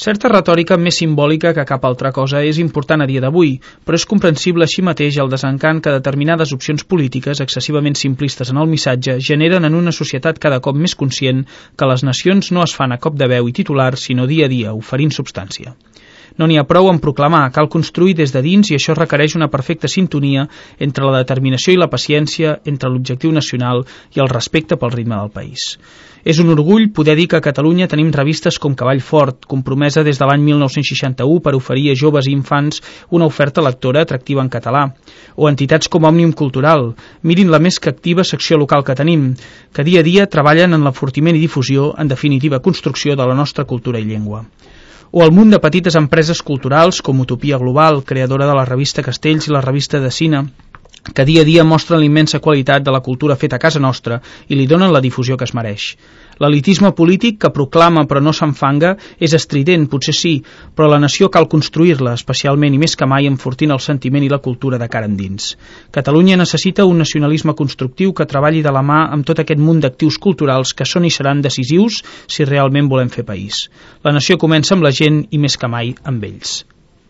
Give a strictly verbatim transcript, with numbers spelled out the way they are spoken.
Certa retòrica més simbòlica que cap altra cosa és important a dia d'avui, però és comprensible així mateix el desencant que determinades opcions polítiques excessivament simplistes en el missatge generen en una societat cada cop més conscient que les nacions no es fan a cop de veu i titular, sinó dia a dia, oferint substància. No n'hi ha prou en proclamar, cal construir des de dins i això requereix una perfecta sintonia entre la determinació i la paciència, entre l'objectiu nacional i el respecte pel ritme del país. És un orgull poder dir que a Catalunya tenim revistes com Cavall Fort, compromesa des de l'any mil nou-cents seixanta-u per oferir a joves i infants una oferta lectora atractiva en català, o entitats com Òmnium Cultural, mirin la més que activa secció local que tenim, que dia a dia treballen en l'enfortiment i difusió, en definitiva construcció de la nostra cultura i llengua. O el munt de petites empreses culturals com Utopia Global, creadora de la revista Castells i la revista de Cine, que dia a dia mostren la immensa qualitat de la cultura feta a casa nostra i li donen la difusió que es mereix. L'elitisme polític que proclama però no s'enfanga és estrident, potser sí, però la nació cal construir-la, especialment i més que mai enfortint el sentiment i la cultura de cara endins. Catalunya necessita un nacionalisme constructiu que treballi de la mà amb tot aquest munt d'actius culturals que són i seran decisius si realment volem fer país. La nació comença amb la gent i més que mai amb ells.